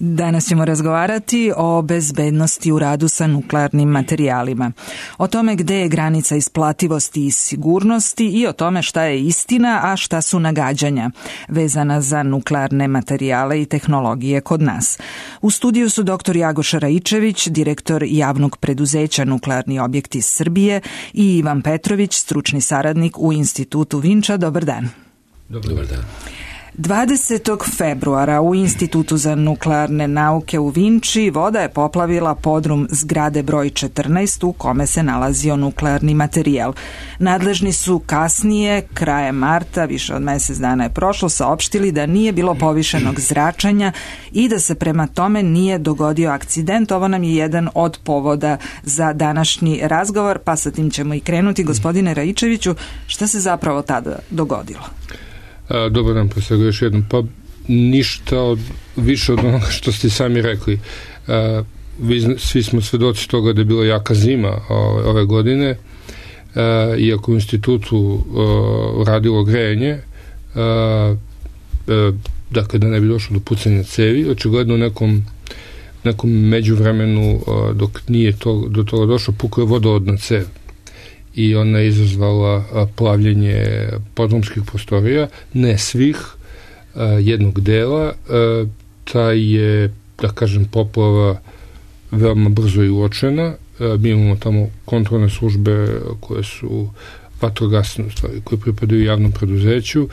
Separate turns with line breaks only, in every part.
Danas ćemo razgovarati o bezbednosti u radu sa nuklearnim materijalima, o tome gde je granica isplativosti i sigurnosti i o tome šta je istina, a šta su nagađanja vezana za nuklearne materijale i tehnologije kod nas. U studiju su dr. Jagoša Raičević, direktor javnog preduzeća Nuklearni objekti Srbije, i Ivan Petrović, stručni saradnik u Institutu Vinča. Dobar dan.
Dobar dan.
20. februara u Institutu za nuklearne nauke u Vinči voda je poplavila podrum zgrade broj 14 u kome se nalazio nuklearni materijal. Nadležni su kasnije, krajem marta, više od mesec dana je prošlo, saopštili da nije bilo povišenog zračenja i da se prema tome nije dogodio akcident. Ovo nam je jedan od povoda za današnji razgovor, pa sa tim ćemo i krenuti. Gospodine Raičeviću, šta se zapravo tada dogodilo?
Dobar dan, pre svega još jednom. Pa ništa više od onoga što ste sami rekli. Svi smo svedoci toga da je bila jaka zima ove godine, iako u institutu radilo grejanje, dakle da ne bi došlo do pucanja cevi, očigledno u nekom međuvremenu dok nije do toga došlo, pukla je vodovodna cev i ona je izazvala plavljenje podrumskih prostorija, ne svih, jednog dela. Ta je, da kažem, poplava veoma brzo i uočena. Mi imamo tamo kontrolne službe koje su vatrogasne, u stvari, koje pripadaju javnom preduzeću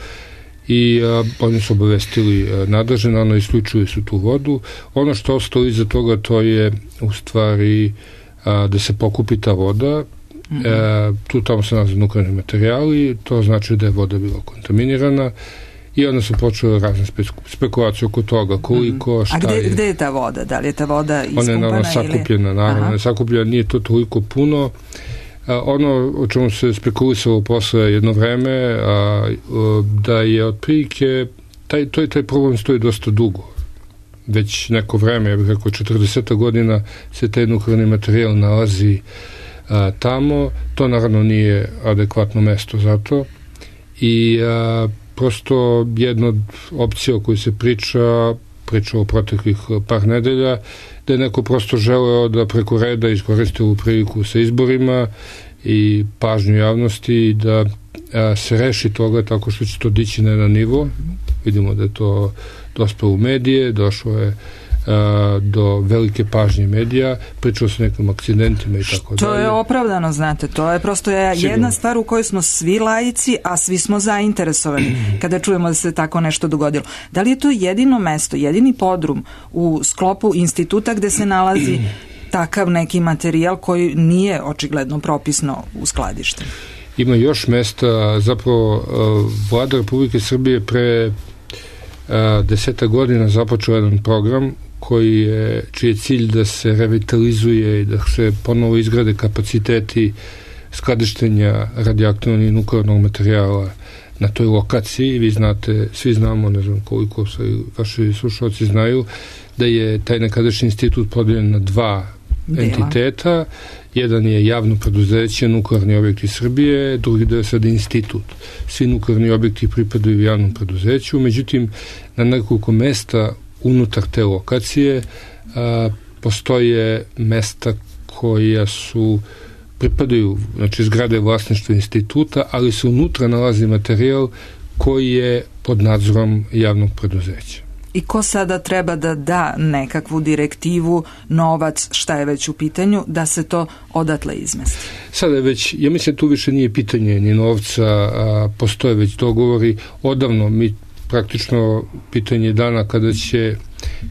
i oni su obavestili nadležne, ono isključili su tu vodu. Ono što je ostalo iza toga, to je u stvari da se pokupi ta voda. Tu tamo se nalaze nuklearni materijali, to znači da je voda bila kontaminirana i onda su počele razne spekulacije oko toga koliko, šta je. A
gde je ta voda? Da li je ta voda ispumpana?
Ona je naravno sakupljena, naravno sakupljena, nije to toliko puno. Ono o čemu se spekulisalo posle jedno vreme, da je otprilike taj problem stoji dosta dugo. Već neko vreme, ja bih rekao 40 godina, se taj nuklearni materijal nalazi tamo. To naravno nije adekvatno mesto za to i prosto jedna od opcija o kojoj se priča u proteklih par nedelja, da je neko prosto želeo da preko reda iskoristi ovu priliku sa izborima i pažnju javnosti i da se reši toga tako što će to dići na jedan nivo. Vidimo da je to dospelo u medije, došlo je do velike pažnje medija, pričao se o nekim akcidentima i tako dalje.
To je opravdano, znate, to je prosto jedna stvar u kojoj smo svi laici, a svi smo zainteresovani kada čujemo da se tako nešto dogodilo. Da li je to jedino mesto, jedini podrum u sklopu instituta gde se nalazi takav neki materijal koji nije očigledno propisno uskladišten?
Ima još mesta, zapravo Vlada Republike Srbije pre 10 godina započeo jedan program čiji je cilj da se revitalizuje i da se ponovo izgrade kapaciteti skladištenja radioaktivnog i nuklearnog materijala na toj lokaciji. Vi znate, svi znamo, ne znam koliko vaši slušalci znaju, da je taj nekadašnji institut podeljen na dva entiteta. Jedan je javno preduzeće Nuklearni objekti Srbije, drugi deo je sada institut. Svi nuklearni objekti pripadaju javnom preduzeću, međutim na nekoliko mesta unutar te lokacije postoje mesta koja pripadaju, znači zgrade vlasništva instituta, ali se unutra nalazi materijal koji je pod nadzorom javnog preduzeća.
I ko sada treba da da nekakvu direktivu, novac, šta je već u pitanju, da se to odatle izmesti? Sada
je već, ja mislim tu više nije pitanje ni novca, postoje već dogovori. Odavno mi praktično pitanje dana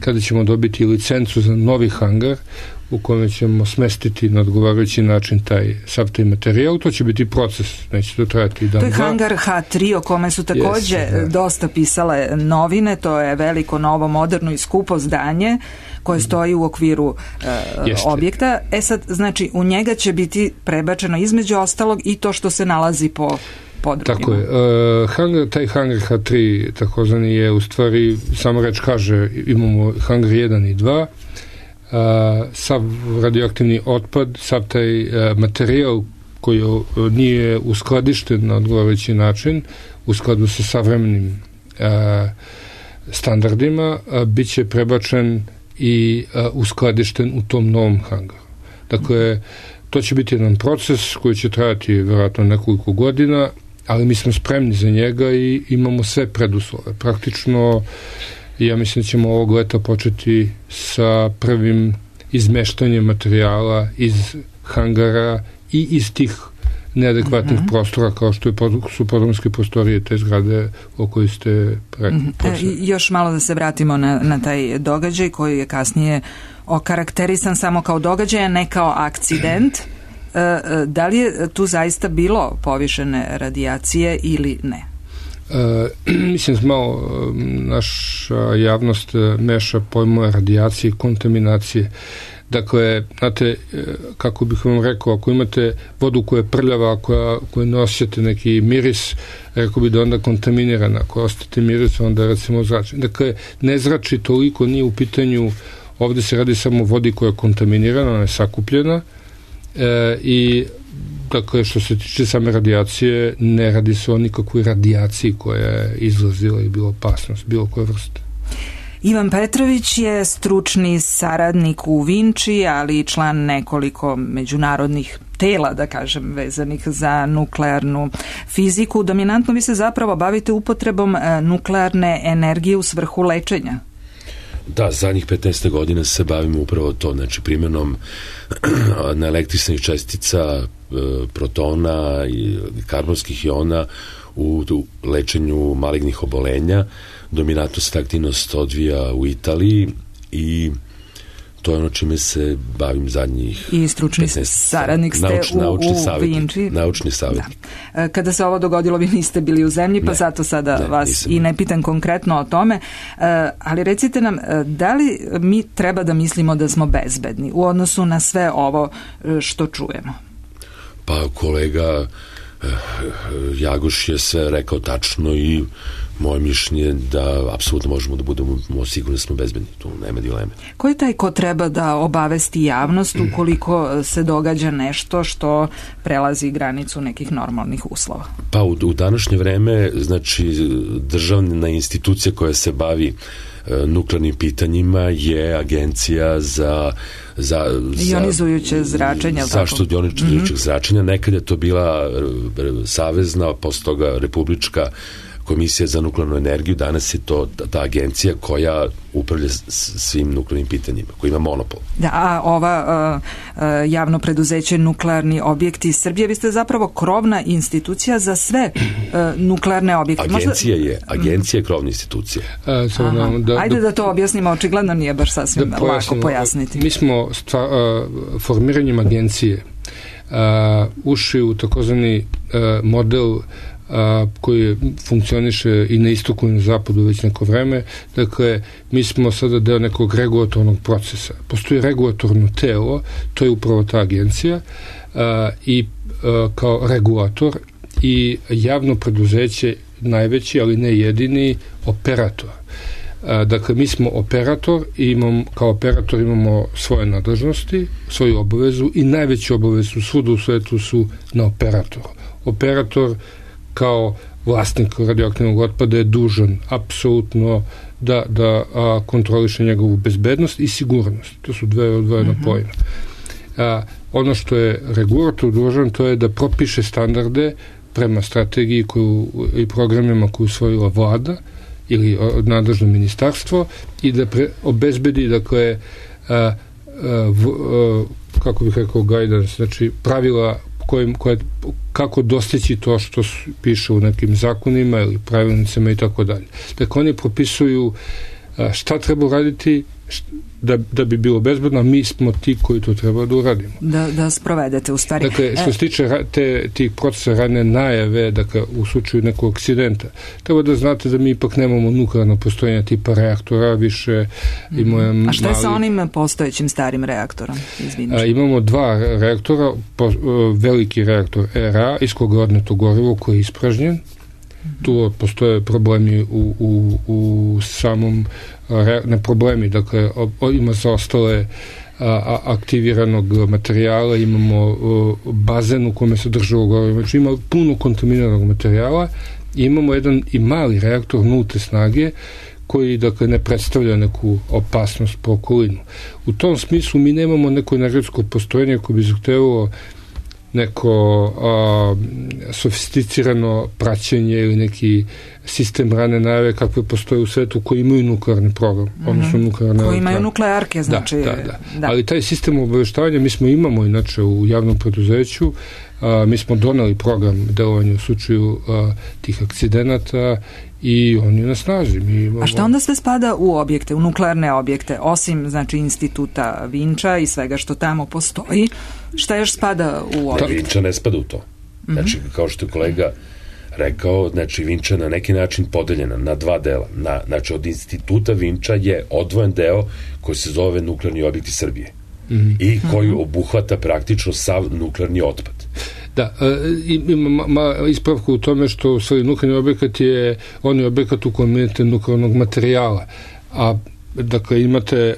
kada ćemo dobiti licencu za novi hangar u kojem ćemo smestiti na odgovarajući način sav taj materijal. To će biti proces, neće to trajati dan.
To je hangar H3 o kome su takođe dosta pisale novine. To je veliko, novo, moderno i skupo zdanje koje stoji u okviru objekta. Sad, znači, u njega će biti prebačeno između ostalog i to što se nalazi po podrumima.
Tako je. Taj hangar H3 takozvani je u stvari, samo reč kaže, imamo hangar 1 i 2, sav radioaktivni otpad, sav taj materijal koji nije uskladišten na odgovarajući način u skladu sa savremenim standardima, bit će prebačen i uskladišten u tom novom hangaru. Dakle, to će biti jedan proces koji će trajati vjerojatno nekoliko godina, ali mi smo spremni za njega i imamo sve preduslove. Praktično, ja mislim da ćemo ovog leta početi sa prvim izmeštanjem materijala iz hangara i iz tih neadekvatnih prostora kao što su podrumske prostorije te zgrade o kojoj ste
još malo da se vratimo na taj događaj koji je kasnije okarakterisan samo kao događaj, a ne kao akcident. Da li je tu zaista bilo povišene radijacije ili ne?
Mislim da malo naša javnost meša pojmove radijacije i kontaminacije. Dakle, znate, kako bih vam rekao, ako imate vodu koja je prljava, koju ne osjećate neki miris, rekao bi da onda kontaminirana. Ako osjećate miris, onda recimo zračenje. Dakle, ne zrači toliko, nije u pitanju, ovdje se radi samo o vodi koja je kontaminirana, ona je sakupljena i dakle, što se tiče same radijacije, ne radi se o nikakvoj radijaciji koja je izlazila i bila opasnost, bilo koje vrste.
Ivan Petrović je stručni saradnik u Vinči, ali i član nekoliko međunarodnih tela, da kažem, vezanih za nuklearnu fiziku. Dominantno vi se zapravo bavite upotrebom nuklearne energije u svrhu lečenja.
Da, zadnjih 15 godina se bavimo upravo to, znači primjenom neelektričnih čestica, protona i karbonskih iona u lečenju malignih obolenja. Dominantno se ta aktivnost odvija u Italiji i to je ono čime se bavim zadnjih 15.
I stručni saradnik ste u Vinči.
Naučni savjetnik.
Da. Kada se ovo dogodilo, vi niste bili u zemlji, pa zato sada vas nisam. I ne pitam konkretno o tome, ali recite nam, da li mi treba da mislimo da smo bezbedni u odnosu na sve ovo što čujemo?
Pa kolega Jagoš je sve rekao tačno i moje mišljenje da apsolutno možemo da budemo sigurni da smo bezbedni, tu nema dileme.
Ko je taj ko treba da obavesti javnost ukoliko se događa nešto što prelazi granicu nekih normalnih uslova?
Pa u današnje vreme, znači državna institucija koja se bavi nuklearnim pitanjima je Agencija za
ionizujuće zračenje,
zaštitu ionizujućeg zračenja. Nekad je to bila savezna, posle toga republička komisija za nuklearnu energiju, danas je to ta agencija koja upravlja svim nuklearnim pitanjima, koja ima monopol.
Da, a ova javno preduzeće Nuklearni objekti Srbije, vi ste zapravo krovna institucija za sve nuklearne objekte.
Agencija je krovna institucija.
Ajde da to objasnimo, očigledno nije baš sasvim lako pojasniti.
Mi smo formiranjem agencije ušli u takozvani model koji funkcioniše i na istoku i na zapadu već neko vreme. Dakle, mi smo sada deo nekog regulatornog procesa. Postoji regulatorno telo, to je upravo ta agencija i kao regulator i javno preduzeće najveći, ali ne jedini operator. Dakle, mi smo operator i kao operator imamo svoje nadležnosti, svoju obavezu i najveću obavezu svuda u svetu su na operatoru. Operator kao vlasnik radioaktivnog otpada je dužan apsolutno da kontroliše njegovu bezbednost i sigurnost. To su dve odvojena pojma. Ono što je regulator dužan, to je da propiše standarde prema strategiji i programima koju usvojila vlada ili nadležno ministarstvo i da obezbedi, dakle, kako bih rekao, guidance, znači pravila kako dostići to što piše u nekim zakonima ili pravilnicama i tako dalje. Dakle, oni propisuju šta treba uraditi da bi bilo bezbedno, a mi smo ti koji to treba da uradimo.
Da sprovedete u stvari.
Dakle, što se tiče tih procesa rane najave, dakle, u slučaju nekog akcidenta, treba da znate da mi ipak nemamo nuklearno postrojenje tipa reaktora, više imamo...
A šta je sa onim postojećim starim reaktorom?
Imamo dva reaktora, veliki reaktor ERA, iz koga je odneto gorivo koji je ispražnjen. Tu postoje problemi u samom ne problemi, dakle ima zaostale aktiviranog materijala, imamo bazen u kome se držalo gorivo, znači ima puno kontaminiranog materijala i imamo jedan i mali reaktor nulte snage koji dakle ne predstavlja neku opasnost po okolinu. U tom smislu mi nemamo neko energetsko postrojenje koje bi zahtevalo neko sofisticirano praćenje ili neki sistem rane najave kakve postoje u svetu koji imaju nuklearni program, odnosno nuklearne
koji imaju nuklearke, znači...
Da. Ali taj sistem obaveštavanja mi imamo inače u javnom preduzeću, mi smo doneli program delovanja u slučaju tih akcidenata i on je na snazi.
A šta onda sve spada u objekte, u nuklearne objekte, osim znači instituta Vinča i svega što tamo postoji, šta još spada u objekte?
Vinča ne spada u to. Znači, kao što je kolega rekao, znači Vinča je na neki način podeljena na dva dela. Znači, od instituta Vinča je odvojen deo koji se zove nuklearni objekti Srbije i koji obuhvata praktično sav nuklearni otpad.
Da, ima ispravka u tome što u stvari nuklearni objekat je onaj objekat u kojem imate nuklearnog materijala, a dakle imate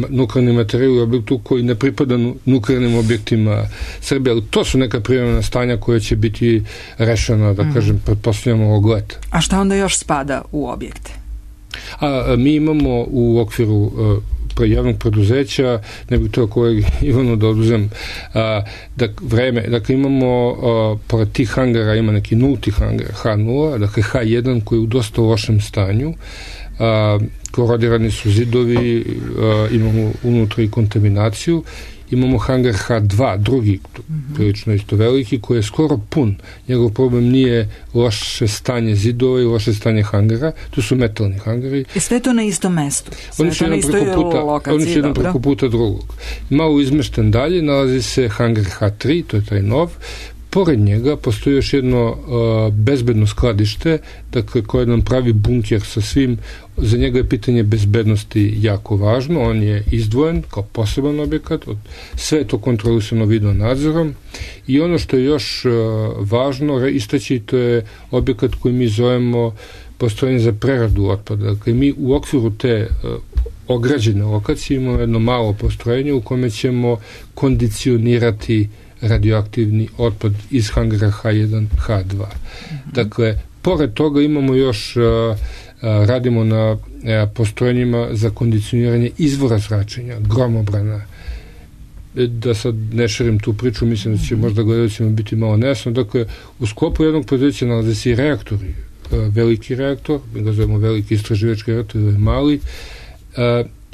nuklearni materijal u objektu koji ne pripada nuklearnim objektima Srbije, ali to su neka privremena stanja koja će biti rešena, da kažem, pretpostavljamo ovog leta.
A šta onda još spada u objekte?
Mi imamo u okviru javnog preduzeća, ne bih to kolegi Ivanu da oduzem dakle imamo pored tih hangara ima neki nulti hangar H0, dakle H1 koji je u dosta lošem stanju, korodirani su zidovi, imamo unutra i kontaminaciju. Imamo hangar H2, drugi, prilično isto veliki, koji je skoro pun. Njegov problem nije loše stanje zidova i loše stanje hangara, to su metalni hangari.
I sve to na istom mestu?
Oni su jedan preko puta drugog. Malo izmešten dalje nalazi se hangar H3, to je taj nov. Pored njega postoji još jedno bezbedno skladište, dakle, koje nam pravi bunker sa svim. Za njega je pitanje bezbednosti jako važno, on je izdvojen kao poseban objekat, sve je to kontrolisano video nadzorom i ono što je još važno istaći, to je objekat koji mi zovemo postrojenje za preradu otpada. Dakle, mi u okviru te ograđene lokacije imamo jedno malo postrojenje u kome ćemo kondicionirati radioaktivni otpad iz hangara H1, H2. Dakle, pored toga imamo još, radimo na postrojenjima za kondicioniranje izvora zračenja, gromobrana. Da sad ne širim tu priču, mislim da će možda gledalcima biti malo nejasno. Dakle, u sklopu jednog preduzeća nalaze se i reaktori. Veliki reaktor, mi ga zovemo veliki istraživački reaktor, je mali,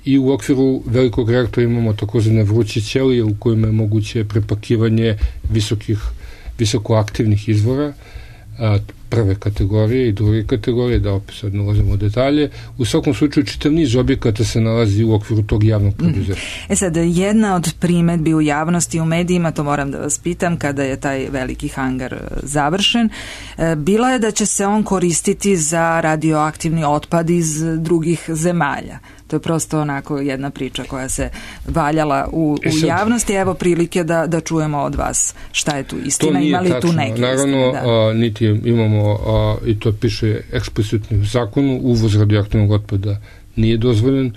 i u okviru velikog reaktora imamo takozvane vruće ćelije u kojima je moguće prepakivanje visokoaktivnih izvora, prve kategorije i druge kategorije, da opet sad ne ulazimo u detalje. U svakom slučaju čitav niz objekata se nalazi u okviru tog javnog preduzeća.
Sad, jedna od primedbi u javnosti, u medijima, to moram da vas pitam, kada je taj veliki hangar završen, bila je da će se on koristiti za radioaktivni otpad iz drugih zemalja. To je prosto onako jedna priča koja se valjala u javnosti. Evo prilike da čujemo od vas šta je tu istina, ima li tu neke istine?
Naravno, niti imamo, i to piše eksplicitno u zakonu, uvoz radioaktivnog otpada nije dozvoljen.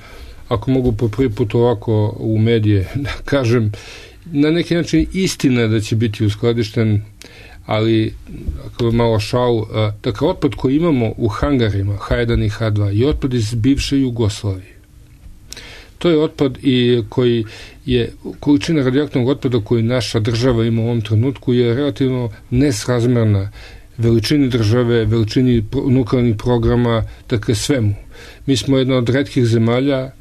Ako mogu po prvi put ovako u medije da kažem, na neki način istina je da će biti uskladišten, ali ako je malo šal, dakle, otpad koji imamo u hangarima H1 i H2 je otpad iz bivše Jugoslavije. To je otpad koji je, količina radioaktivnog otpada koju naša država ima u ovom trenutku je relativno nesrazmerna veličini države, veličini nuklearnih programa, dakle svemu. Mi smo jedna od retkih zemalja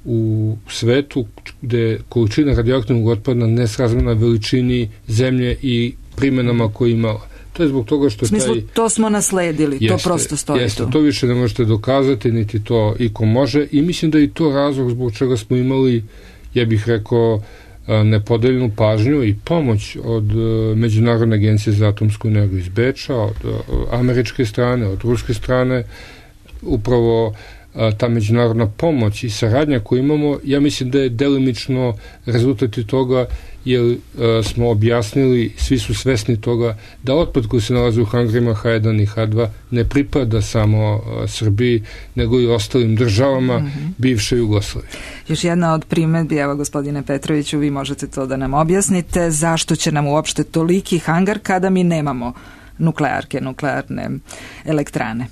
u svetu gde je količina radioaktivnog otpada nesrazmerna veličini zemlje i primenama koje imala. To je zbog toga što
u smislu, to smo nasledili, to prosto stoji
jeste, tu. To više ne možete dokazati, niti to iko može i mislim da je to razlog zbog čega smo imali, ja bih rekao, nepodeljenu pažnju i pomoć od Međunarodne agencije za atomsku energiju iz Beča, od američke strane, od ruske strane. Upravo ta međunarodna pomoć i saradnja koju imamo, ja mislim da je delimično rezultat toga, jer smo objasnili, svi su svesni toga, da otpad koji se nalazi u hangarima H1 i H2 ne pripada samo Srbiji, nego i ostalim državama bivše Jugoslavije.
Još jedna od primedbi, evo gospodine Petroviću, vi možete to da nam objasnite, zašto će nam uopšte toliki hangar kada mi nemamo nuklearne elektrane?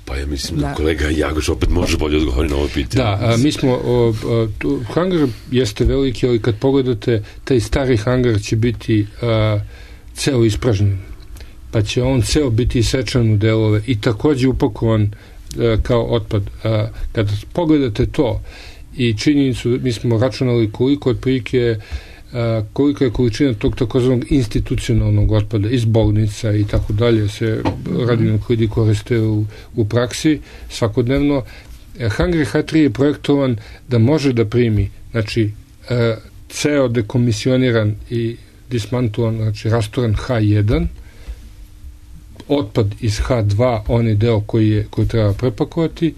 Pa ja mislim da kolega Jagoš opet može bolje odgovoriti na ovo pitanje.
Da, mi smo, hangar jeste veliki, ali kad pogledate, taj stari hangar će biti ceo ispražnjen, pa će on ceo biti isečan u delove i takođe upakovan kao otpad. Kad pogledate to i činjenicu, mi smo računali koliko otprilike kolika je količina tog takozvanog institucionalnog otpada iz bolnica i tako dalje se radionukleidi koriste u praksi svakodnevno. Hangar H3 je projektovan da može da primi, znači ceo dekomisioniran i dismantovan, znači rastoran H1, otpad iz H2, onaj deo koji treba prepakovati,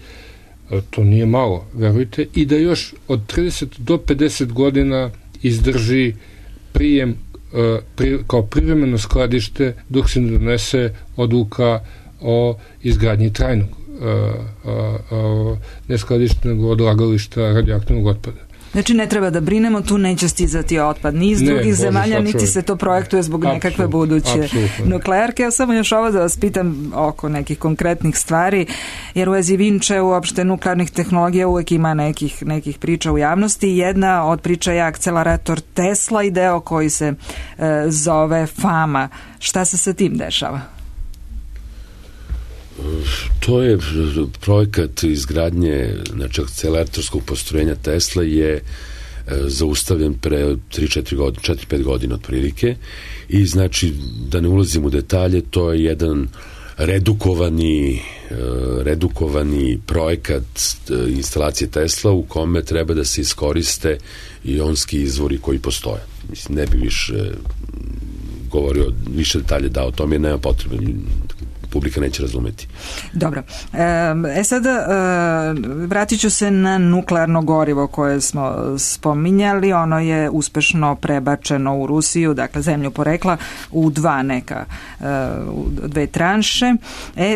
to nije malo, verujte, i da još od 30 do 50 godina izdrži prijem kao privremeno skladište dok se ne donese odluka o izgradnji trajnog ne skladišta, nego odlagališta radioaktivnog otpada.
Znači ne treba da brinemo, tu neće stizati otpad ni iz drugih zemalja, niti se to projektuje zbog nekakve buduće nuklearke. Ja samo još ovo da vas pitam oko nekih konkretnih stvari, jer u vezi Vinče uopšte nuklearnih tehnologija uvek ima nekih priča u javnosti. Jedna od priča je akcelerator Tesla i deo koji se zove Fama. Šta se sa tim dešava?
To je projekat izgradnje, znači akceleratorskog postrojenja Tesla je zaustavljen pre 4-5 godina otprilike i znači da ne ulazim u detalje, to je jedan redukovani projekat instalacije Tesla u kome treba da se iskoriste ionski izvori koji postoje. Mislim, ne bi više govorio, više detalje dao o tome jer nema potrebe, publika neće razumeti.
Dobro. Sada vratit ću se na nuklearno gorivo koje smo spominjali. Ono je uspešno prebačeno u Rusiju, dakle zemlju porekla, u dve tranše.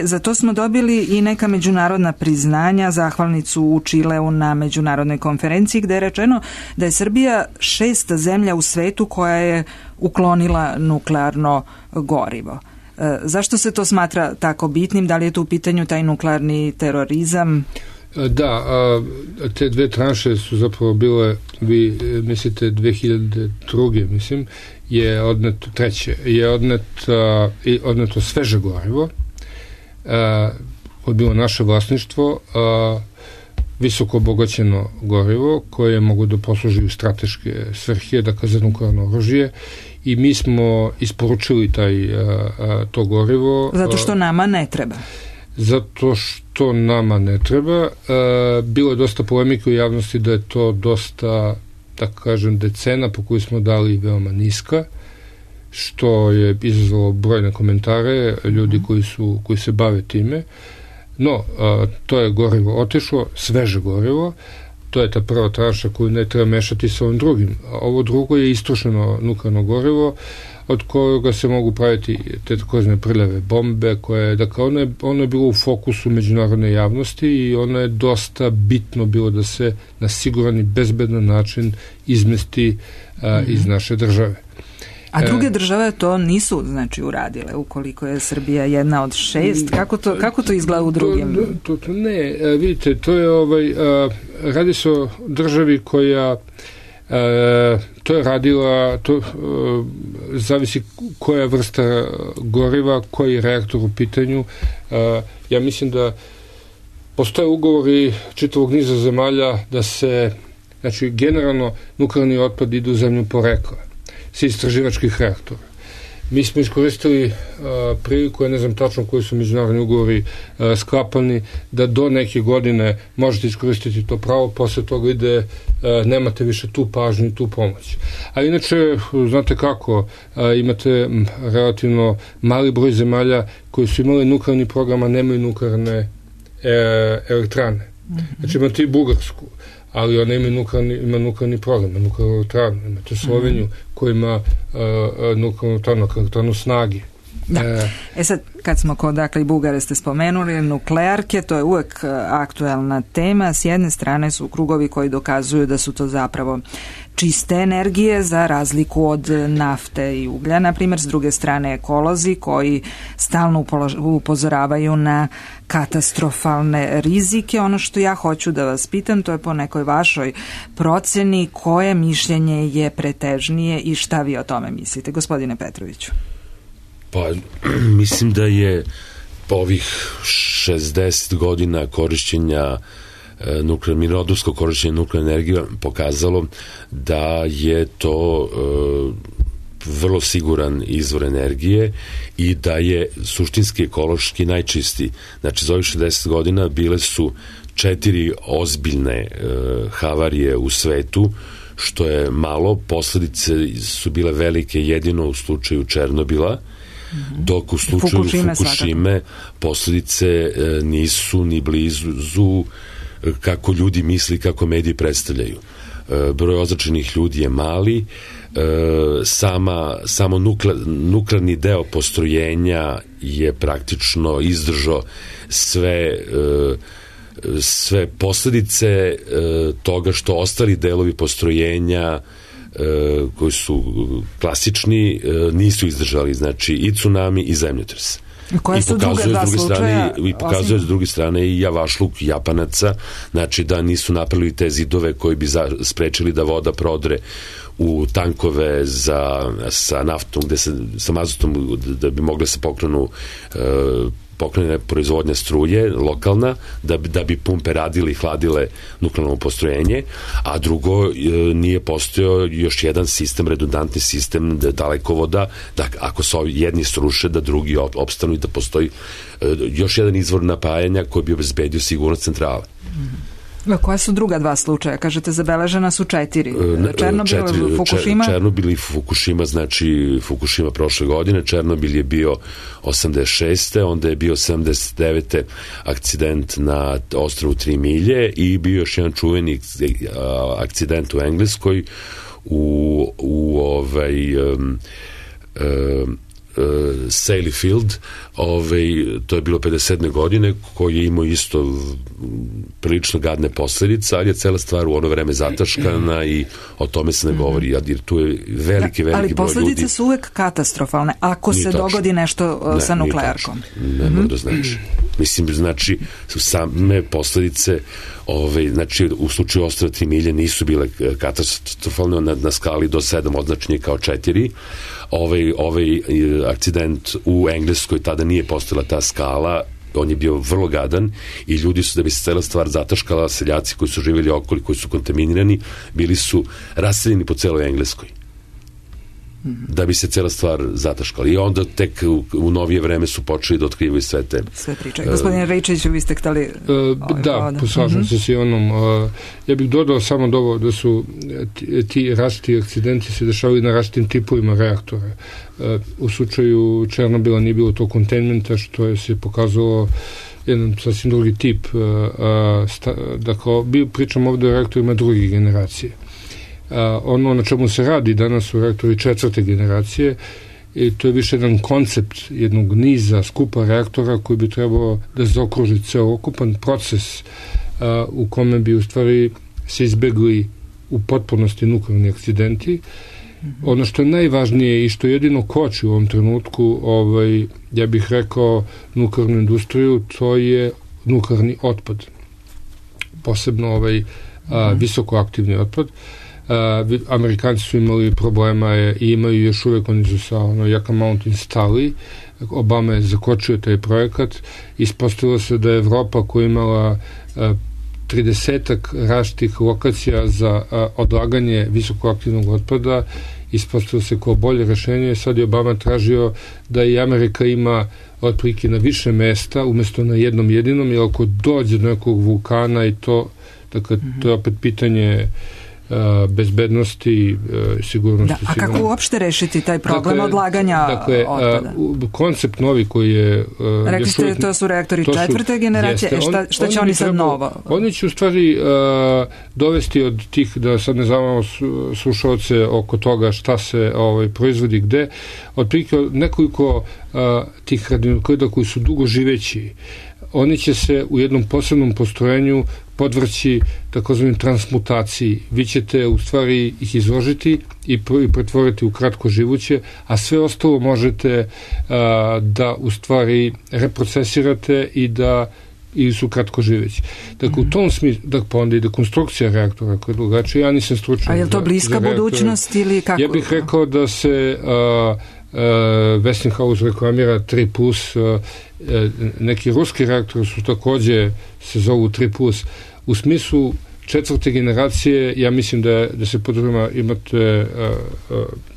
Za to smo dobili i neka međunarodna priznanja, zahvalnicu u Čileu na međunarodnoj konferenciji gde je rečeno da je Srbija 6. zemlja u svetu koja je uklonila nuklearno gorivo. Zašto se to smatra tako bitnim? Da li je tu u pitanju taj nuklearni terorizam?
Da, te dve tranše su zapravo bile, vi mislite 2002. mislim, je odneto treće, je odneto sveže gorivo, koje je bilo naše vlasništvo, visoko obogaćeno gorivo koje mogu da posluži u strateške svrhe, dakle za nuklearno oružje, i mi smo isporučili to gorivo.
Zato što nama ne treba.
Zato što nama ne treba. Bilo je dosta polemike u javnosti da je to dosta, tako kažem, cena po koju smo dali veoma niska, što je izazvalo brojne komentare ljudi koji se bave time. No, to je gorivo otišlo, sveže gorivo, to je ta prva tranša koju ne treba mešati sa ovim drugim. Ovo drugo je istrošeno nuklearno gorivo od kojega se mogu praviti te takozvane prljave bombe koje, dakle, ono je bilo u fokusu međunarodne javnosti i ono je dosta bitno bilo da se na siguran i bezbedan način izmesti iz naše države.
A druge države to nisu, znači, uradile, ukoliko je Srbija jedna od 6. Kako to izgleda u drugim?
Ne, vidite, to je radi se o državi koja to je radila, zavisi koja vrsta goriva, koji reaktor u pitanju. Ja mislim da postoje ugovori čitavog niza zemalja da se, znači, generalno nuklearni otpad ide u zemlju porekla sa istraživačkih reaktora. Mi smo iskoristili priliku, ja ne znam tačno koji su međunarodni ugovori sklapani, da do neke godine možete iskoristiti to pravo, posle toga ide, nemate više tu pažnju i tu pomoć. A inače, znate kako, imate relativno mali broj zemalja koji su imali nuklearni program, a nemaju nuklearne elektrane. Znači imate i Bugarsku, ali ona ima nuklearni program, nuklearnu elektranu. Imate Sloveniju koja ima nuklearnu elektranu snage
Da. Sad, kad smo kod, dakle, i Bugare ste spomenuli, nuklearke, to je uvek aktuelna tema. S jedne strane su krugovi koji dokazuju da su to zapravo čiste energije za razliku od nafte i uglja, na primjer. S druge strane ekolozi koji stalno upozoravaju na katastrofalne rizike. Ono što ja hoću da vas pitam, to je po nekoj vašoj proceni, koje mišljenje je pretežnije i šta vi o tome mislite, gospodine Petroviću?
Pa, mislim da je po ovih 60 godina korišćenja mirnodopskog korišćenja nuklearne energije pokazalo da je to vrlo siguran izvor energije i da je suštinski ekološki najčistiji. Znači, za ovih 60 godina bile su 4 ozbiljne havarije u svetu, što je malo. Posledice su bile velike jedino u slučaju Černobila, dok u slučaju Fukushime posledice nisu ni blizu kako ljudi misli, kako mediji predstavljaju. Broj ozračenih ljudi je mali, samo nuklearni deo postrojenja je praktično izdržao sve posledice toga što ostali delovi postrojenja koji su klasični nisu izdržali, znači i tsunami i zemljotres.
Koje su druge dva slučaja?
I pokazuje s druge strane i javašluk Japanaca, znači da nisu napravili te zidove koji bi sprečili da voda prodre u tankove sa naftom, sa mazotom, da bi mogle se pokrene proizvodnja struje lokalna, da bi pumpe radile i hladile nuklearno postrojenje, a drugo nije postojao još jedan sistem, redundantni sistem dalekovoda, da ako se jedni sruše, da drugi opstanu i da postoji još jedan izvor napajanja koji bi obezbedio sigurnost centrale.
Koja su druga dva slučaja? Kažete, zabeležena su 4. Černobil, Fukushima?
Černobil i Fukushima, znači Fukushima prošle godine, Černobil je bio 86. onda je bio 79. akcident na ostrvu 3 milje i bio još jedan čuveni akcident u Engleskoj Sailyfield, to je bilo 57. godine, koji je imao isto prilično gadne posledice, ali je cela stvar u ono vreme zataškana i o tome se ne govori, jer tu je veliki broj ljudi.
Ali posledice su uvek katastrofalne ako se dogodi nešto sa nuklearkom.
Ne mora da znači. Mislim, znači, same posledice, znači, u slučaju ostrva 3 milje nisu bile katastrofalne, na skali do 7 označenje kao 4. Ovaj akcident u Engleskoj, tada nije postojala ta skala, on je bio vrlo gadan i ljudi su, da bi se cela stvar zataškala, seljaci koji su živjeli okoli, koji su kontaminirani, bili su raseljeni po celoj Engleskoj da bi se cela stvar zataškala. I onda tek u novije vreme su počeli da otkrivaju sve
priče. Gospodine Rejčeviću, vi ste hteli...
Da, poslažem se s onom. Ja bih dodao samo da su ti različiti akcidenti se dešavali na različitim tipovima reaktora. U slučaju Černobila nije bilo to kontenmenta, što je se pokazalo jedan sasvim drugi tip. Dakle, pričam ovde o reaktorima druge generacije. Ono na čemu se radi danas u reaktori 4. generacije, i to je više jedan koncept jednog niza skupa reaktora koji bi trebao da zaokruži celokupan proces u kome bi u stvari se izbegli u potpunosti nuklearni akcidenti. Ono što je najvažnije i što jedino koči u ovom trenutku, ja bih rekao, nuklearnu industriju, to je nuklearni otpad. Posebno visokoaktivni otpad. Amerikanci su imali problema i imaju još uvek, oni su sa Yucca Mountain stali. Obama je zakočio taj projekat. Ispostavilo se da je Evropa koja imala 30-ak različitih lokacija za odlaganje visokoaktivnog otpada, ispostavilo se kao bolje rešenje. Sad je Obama tražio da i Amerika ima otprilike na više mesta umesto na jednom jedinom, jer ako dođe do nekog vulkana i to, dakle, to je opet pitanje bezbednosti, sigurnosti.
A kako uopšte rešiti taj problem odlaganja otpada?
Koncept novi koji je...
Rekli ste, to su reaktori 4. generacije. Šta će oni sad novo?
Oni će u stvari dovesti od tih, da sad ne znamo slušalce oko toga šta se proizvodi gde, otprilike nekoliko tih radionukleida koji su dugo živeći, oni će se u jednom posebnom postrojenju podvrći takozvanim transmutaciji. Vi ćete u stvari ih izložiti i pretvoriti u kratko živuće, a sve ostalo možete da u stvari reprocesirate ili su kratko živeći. Dakle, u tom smislu, pa onda i dekonstrukcija reaktora koja je drugačija, ja nisam stručan.
A je li to bliska budućnost ili kako?
Ja bih rekao da se Westinghouse reklamira 3+, neki ruski reaktori su takođe se zovu 3+. U smislu četvrte generacije, ja mislim da se podruma imate,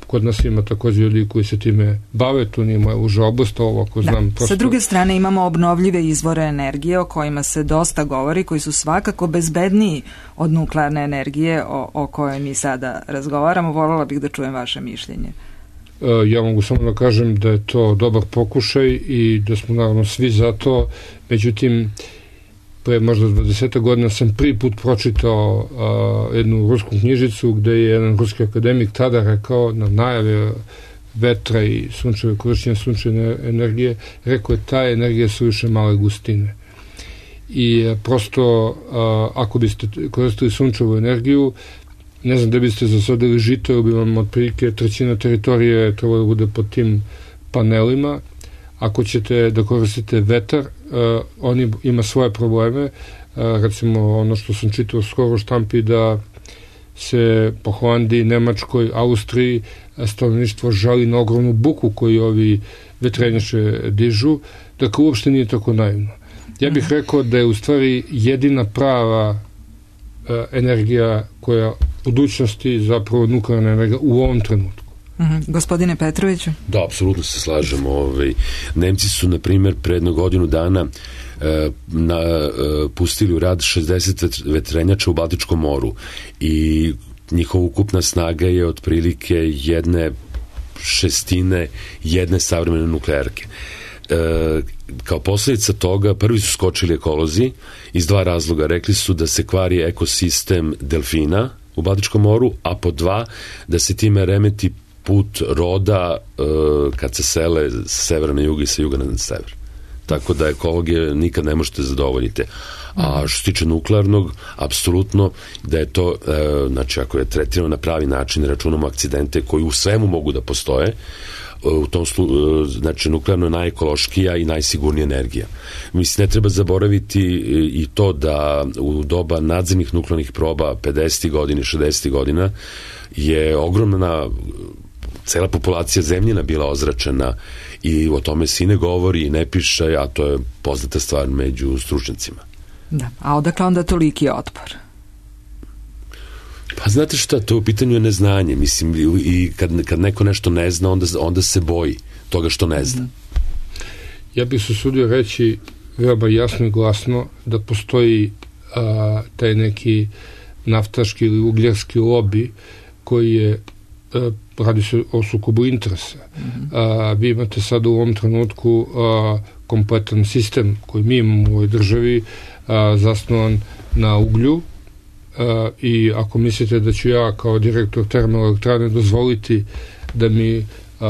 kod nas ima takođe ljudi koji se time bave, tu nije moja uža oblast, ovo ako znam.
Sa druge strane imamo obnovljive izvore energije o kojima se dosta govori, koji su svakako bezbedniji od nuklearne energije o kojoj mi sada razgovaramo. Voljela bih da čujem vaše mišljenje.
Ja mogu samo da kažem da je to dobar pokušaj i da smo naravno svi za to, međutim pre možda 20 godina sam prvi put pročitao jednu rusku knjižicu gde je jedan ruski akademik tada rekao na najave vetra i korišćenja sunčeve energije, rekao je ta energija su više male gustine. I prosto ako biste koristili sunčevu energiju, ne znam da biste zasadili žito, ili bi vam otprilike trećina teritorije trebalo da bude pod tim panelima. Ako ćete da koristite vetar, on ima svoje probleme. Recimo, ono što sam čitao skoro u štampi, da se po Holandiji, Nemačkoj, Austriji stanovništvo žali na ogromnu buku koju ovi vetrenjače dižu. Dakle, uopšte nije tako naivno. Ja bih rekao da je u stvari jedina prava energija koja budućnosti zapravo nuklearna energija u ovom trenutku.
Gospodine Petroviću?
Da, apsolutno se slažemo. Nemci su, na primjer, pre jednu godinu dana pustili u rad 60 vetrenjača u Baltičkom moru i njihova ukupna snaga je otprilike 1/6 jedne savremene nuklearke. Kao posljedica toga prvi su skočili ekolozi iz dva razloga. Rekli su da se kvari ekosistem delfina u Baltičkom moru, a po dva da se time remeti put roda kad se sele sa severa na jug i sa juga na sever. Tako da ekologije nikad ne možete zadovoljiti. A što se tiče nuklearnog, apsolutno da je to, znači ako je tretirano na pravi način, računamo akcidente koji u svemu mogu da postoje, u tom znači nuklearno je najekološkija i najsigurnija energija. Mislim, ne treba zaboraviti i to da u doba nadzemnih nuklearnih proba 50. godina, 60. godina je ogromna cela populacija zemljina bila ozračena i o tome se i ne govori i ne piše, a to je poznata stvar među stručnjacima.
Da, a odakle onda toliki otpor?
Pa znate šta, to u pitanju je neznanje, mislim, i kad neko nešto ne zna, onda se boji toga što ne zna.
Ja bih se usudio reći veoma jasno i glasno da postoji taj neki naftaški ili ugljarski lobi koji je, radi se o sukobu interesa. Vi imate sad u ovom trenutku kompletan sistem koji mi imamo u ovoj državi zasnovan na uglju, i ako mislite da ću ja kao direktor termoelektrane dozvoliti da mi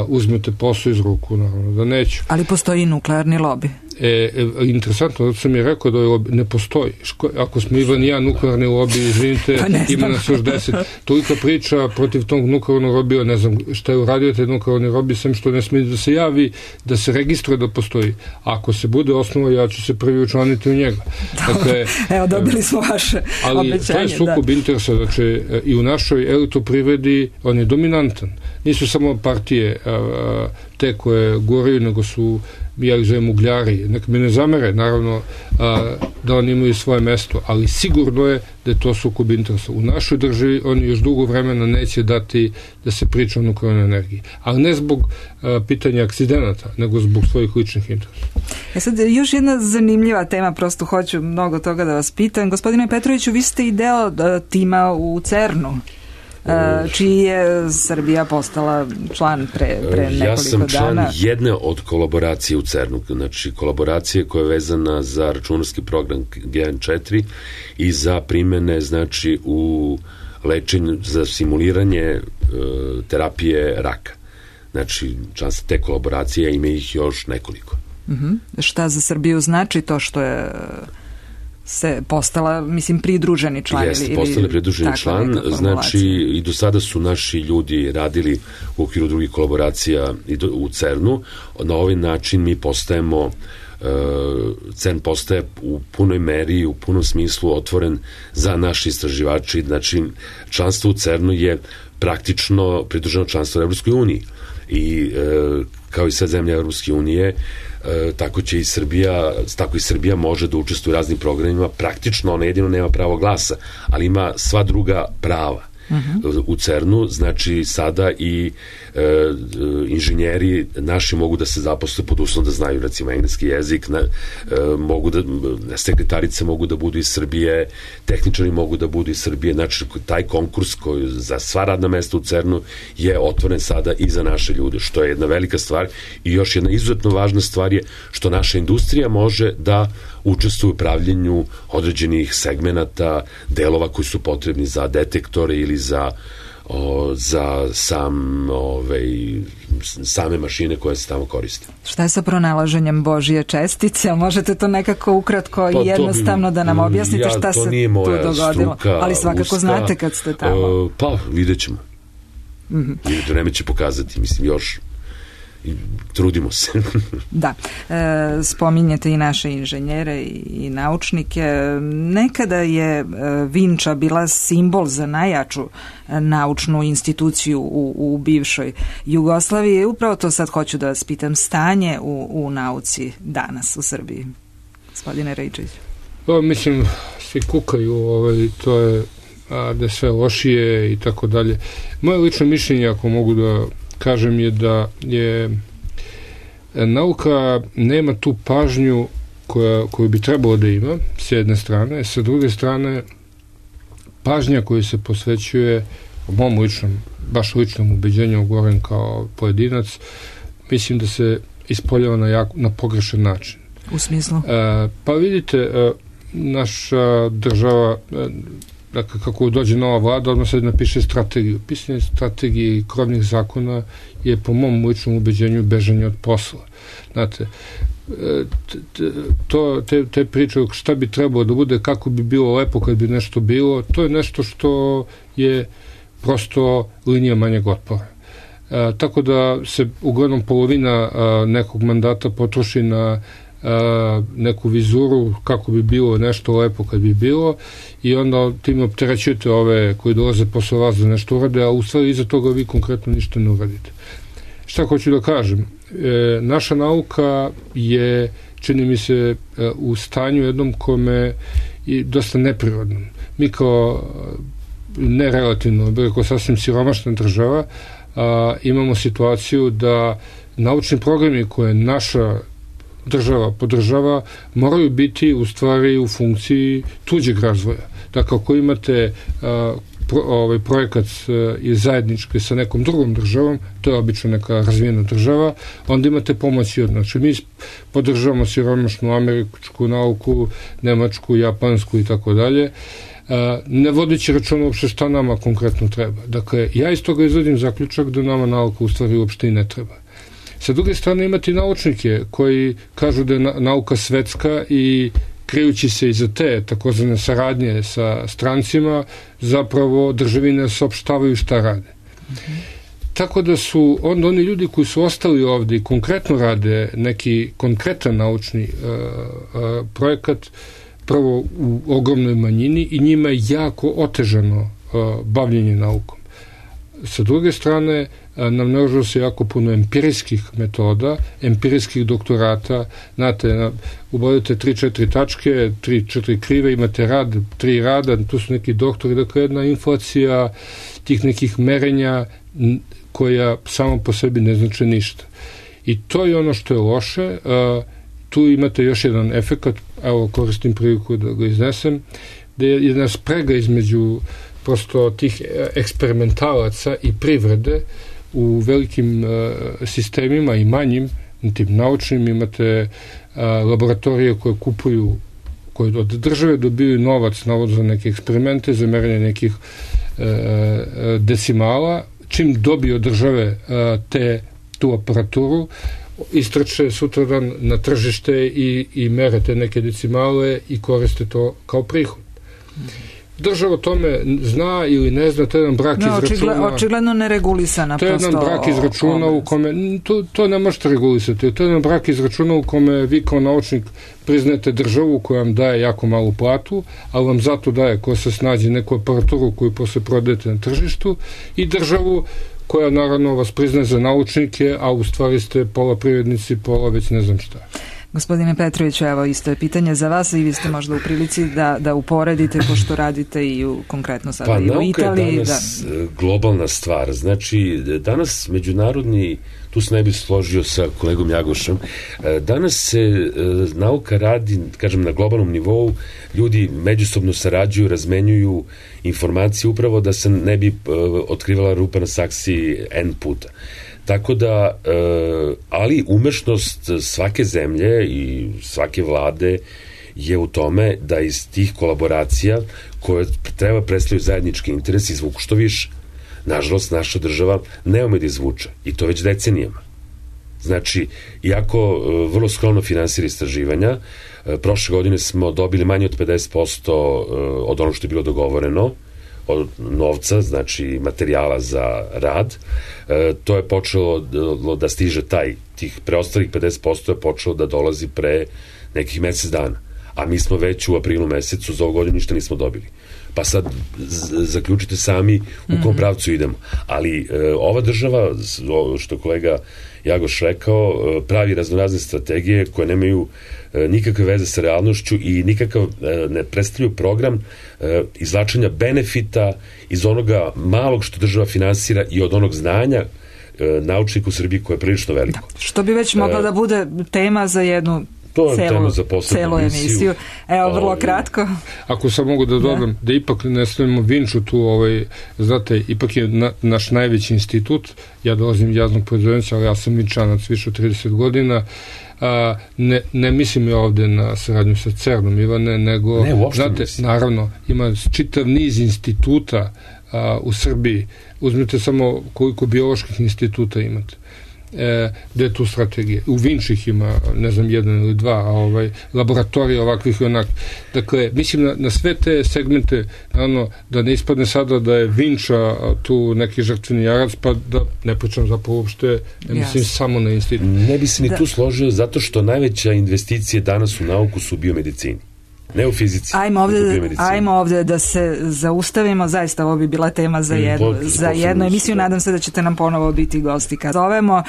uzmete posao iz ruku, naravno da neću.
Ali postoji nuklearni lobi.
Interesantno, da sam je rekao da ovaj ne postoji. Ako smo Ivan i ja nuklearni lobi, izvinite, ima nas još 10. Toliko priča protiv tog nuklearnog lobija, ne znam šta je uradio taj nuklearni lobi, sem što ne smije da se javi, da se registruje da postoji. Ako se bude osnovo, ja ću se prvi učlaniti u njega. Dakle,
evo, dobili smo vaše
ali
obećanje.
Ali to je sukob interesa, znači i u našoj elektroprivredi on je dominantan. Nisu samo partije te koje goraju, nego su, ja ih zovem ugljari, neka mi ne zamere, naravno, da oni imaju svoje mesto, ali sigurno je da je to sukob interesa. U našoj državi oni još dugo vremena neće dati da se priča o nuklearnoj energiji, ali ne zbog pitanja akcidenata, nego zbog svojih ličnih interesa.
Sad, još jedna zanimljiva tema, prosto hoću mnogo toga da vas pitam. Gospodine Petroviću, vi ste i deo tima u CERN-u, čiji je Srbija postala član pre nekoliko dana.
Ja sam član jedne od kolaboracije u CERN-u, znači kolaboracije koja je vezana za računarski program GN4 i za primene, znači, u lečenju, za simuliranje terapije raka. Znači, članstvo te kolaboracije, ima ih još nekoliko.
Šta za Srbiju znači to što je se postala, mislim, pridruženi član?
Jeste, postali pridruženi član, znači i do sada su naši ljudi radili u okviru drugih kolaboracija u CERN-u. Na ovaj način mi postajemo, CERN postaje u punoj meri, u punom smislu otvoren za naše istraživači. Znači, članstvo u CERN-u je praktično pridruženo članstvo u Evropskoj uniji. I kao i sve zemlje Evropske unije, tako će i Srbija može da učestvuje u raznim programima. Praktično ona jedino nema pravo glasa, ali ima sva druga prava u CERN-u. Znači sada i inženjeri naši mogu da se zaposle pod uslovom da znaju recimo engleski jezik, sekretarice mogu da budu iz Srbije, tehničari mogu da budu iz Srbije. Znači taj konkurs koji za sva radna mesta u CERN-u je otvoren sada i za naše ljude, što je jedna velika stvar. I još jedna izuzetno važna stvar je što naša industrija može da učestvuje u pravljenju određenih segmenata, delova koji su potrebni za detektore ili za same mašine koje se tamo koriste.
Šta je sa pronalaženjem Božije čestice? Možete to nekako ukratko i jednostavno da nam objasnite šta se tu dogodilo? Ali svakako znate kad ste tamo.
Pa, vidjet ćemo. Vreme će pokazati, mislim, još trudimo se.
Da, spominjete i naše inženjere i naučnike. Nekada je Vinča bila simbol za najjaču naučnu instituciju u bivšoj Jugoslaviji. Upravo to sad hoću da vas pitam, stanje u nauci danas u Srbiji. Gospodine Rejčić.
Mislim, svi kukaju, to je da je sve lošije i tako dalje. Moje lično mišljenje, ako mogu da kažem, je da je nauka nema tu pažnju koju bi trebalo da ima, s jedne strane. Sa druge strane, pažnja koju se posvećuje, u mom baš ličnom ubeđenju, govorim kao pojedinac, mislim da se ispoljava na pogrešan način.
U smislu?
Pa vidite, naša država, dakle, kako dođe nova vlada, odmah se napiše strategiju. Pisanje strategije i krovnih zakona je po mom ličnom ubeđenju bežanje od posla. Znate, te priče šta bi trebalo da bude, kako bi bilo lepo kad bi nešto bilo, to je nešto što je prosto linija manjeg otpora. Tako da se uglavnom polovina nekog mandata potroši na neku vizuru kako bi bilo nešto lepo kad bi bilo i onda tim opterećujete ove koji dolaze posle vas da nešto urade, a u stvari iza toga vi konkretno ništa ne uradite. Šta hoću da kažem? Naša nauka je, čini mi se, u stanju jednom kome je dosta neprirodnom. Mi kao nerelativno, kao sasvim siromašna država, imamo situaciju da naučni programi koje naša država podržava moraju biti u stvari u funkciji tuđeg razvoja. Dakle, ako imate projekat je zajednički sa nekom drugom državom, to je obično neka razvijena država, onda imate pomoć i od. Znači, mi podržavamo siromašnu američku nauku, nemačku, japansku i tako dalje, ne vodeći računa uopšte šta nama konkretno treba. Dakle, ja iz toga izvodim zaključak da nama nauka u stvari uopšte i ne treba. Sa druge strane imate naučnike koji kažu da je nauka svetska i krijući se iza te takozvane saradnje sa strancima, zapravo državine saopštavaju šta rade. Tako da su onda oni ljudi koji su ostali ovde i konkretno rade neki konkretan naučni projekat, prvo u ogromnoj manjini i njima je jako otežano bavljenje naukom. Sa druge strane, namnožilo se jako puno empirijskih metoda, empirijskih doktorata. Znate, ubodite 3-4 tačke, 3-4 krive, imate rad, 3 rada, tu su neki doktori, dakle jedna inflacija tih nekih merenja koja samo po sebi ne znači ništa. I to je ono što je loše. Tu imate još jedan efekat, evo koristim priliku da ga iznesem, da je jedna sprega između prosto tih eksperimentalaca i privrede u velikim sistemima i manjim, tim naučnim, imate laboratorije koje kupuju, koje od države dobiju novac za neke eksperimente, za merenje nekih decimala. Čim dobiju od države te tu aparaturu, istrče sutradan na tržište i mere te neke decimale i koriste to kao prihod. Država o tome zna ili ne zna, to je jedan brak izračuna.
Očigledno neregulisana.
To je jedan brak izračuna u kome, to ne možete regulisati, to je jedan brak izračuna u kome vi kao naučnik priznajete državu koja vam daje jako malu platu, ali vam zato daje, ko se snađe, neku aparaturu koju posle prodajete na tržištu, i državu koja naravno vas priznaje za naučnike, a u stvari ste pola privrednici, pola već ne znam šta.
Gospodine Petroviću, evo isto je pitanje za vas i vi ste možda u prilici da uporedite, pošto radite i konkretno sada i u Italiji. Pa nauka je danas
globalna stvar. Znači, danas međunarodni, tu se ne bi složio sa kolegom Jagošem, danas se nauka radi, kažem, na globalnom nivou, ljudi međusobno sarađuju, razmenjuju informacije upravo da se ne bi otkrivala rupa na saksiji N puta. Tako da, ali umešnost svake zemlje i svake vlade je u tome da iz tih kolaboracija koje treba predstavljaju zajednički interes izvuku što više. Nažalost, naša država ne ume da izvuče i to već decenijama. Znači, iako vrlo skromno finansira istraživanja, prošle godine smo dobili manje od 50% od onog što je bilo dogovoreno, od novca, znači materijala za rad. To je počelo da stiže tih preostalih 50% je počelo da dolazi pre nekih mesec dana. A mi smo već u aprilu mesecu za ovu godinu ništa nismo dobili. Pa sad zaključite sami u kom pravcu idemo. Ali ova država, što je kolega Jagoš rekao, pravi raznorazne strategije koje nemaju nikakve veze sa realnošću i nikakav ne predstavljaju program izvlačenja benefita iz onoga malog što država finansira i od onog znanja naučnika u Srbiji koje je prilično veliko.
Da, što bi već mogla da bude tema za jednu celu emisiju. Evo, vrlo kratko.
Ako sam mogu da dodam, da ipak ne stavimo Vinču tu, znate, ipak je naš najveći institut, ja dolazim iz javnog preduzeća, ali ja sam Vinčanac više od 30 godina, ne mislim ja ovde na saradnju sa CERN-om, Ivane, nego, znate, naravno, ima čitav niz instituta u Srbiji. Uzmite samo koliko bioloških instituta imate. Gde je tu strategija. U Vinčih ima, ne znam, 1 ili 2, a laboratorija ovakvih i onak. Dakle, mislim na sve te segmente, naravno, da ne ispadne sada da je Vinča tu neki žrtveni jarac, pa da ne pričam zapravo uopšte, ne mislim samo na institut.
Ne bi se ni tu složio, zato što najveća investicija danas u nauku su u biomedicini. Ne u fizici.
Ajmo ovde da se zaustavimo, zaista ovo bi bila tema za jednu emisiju, nadam se da ćete nam ponovo biti gosti kad zovemo.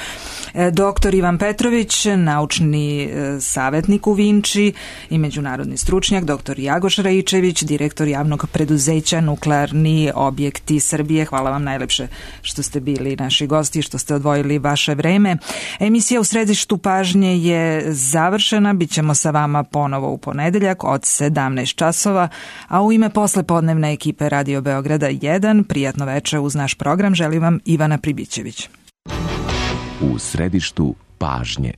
Doktor Ivan Petrović, naučni savjetnik u Vinči i međunarodni stručnjak, doktor Jagoš Raičević, direktor javnog preduzeća Nuklearni objekti Srbije. Hvala vam najlepše što ste bili naši gosti, što ste odvojili vaše vreme. Emisija U središtu pažnje je završena, bit ćemo sa vama ponovo u ponedeljak od 17 časova, a u ime poslepodnevne ekipe Radio Beograda 1, prijatno veče uz naš program želim vam Ivana Pribićević.
U središtu pažnje.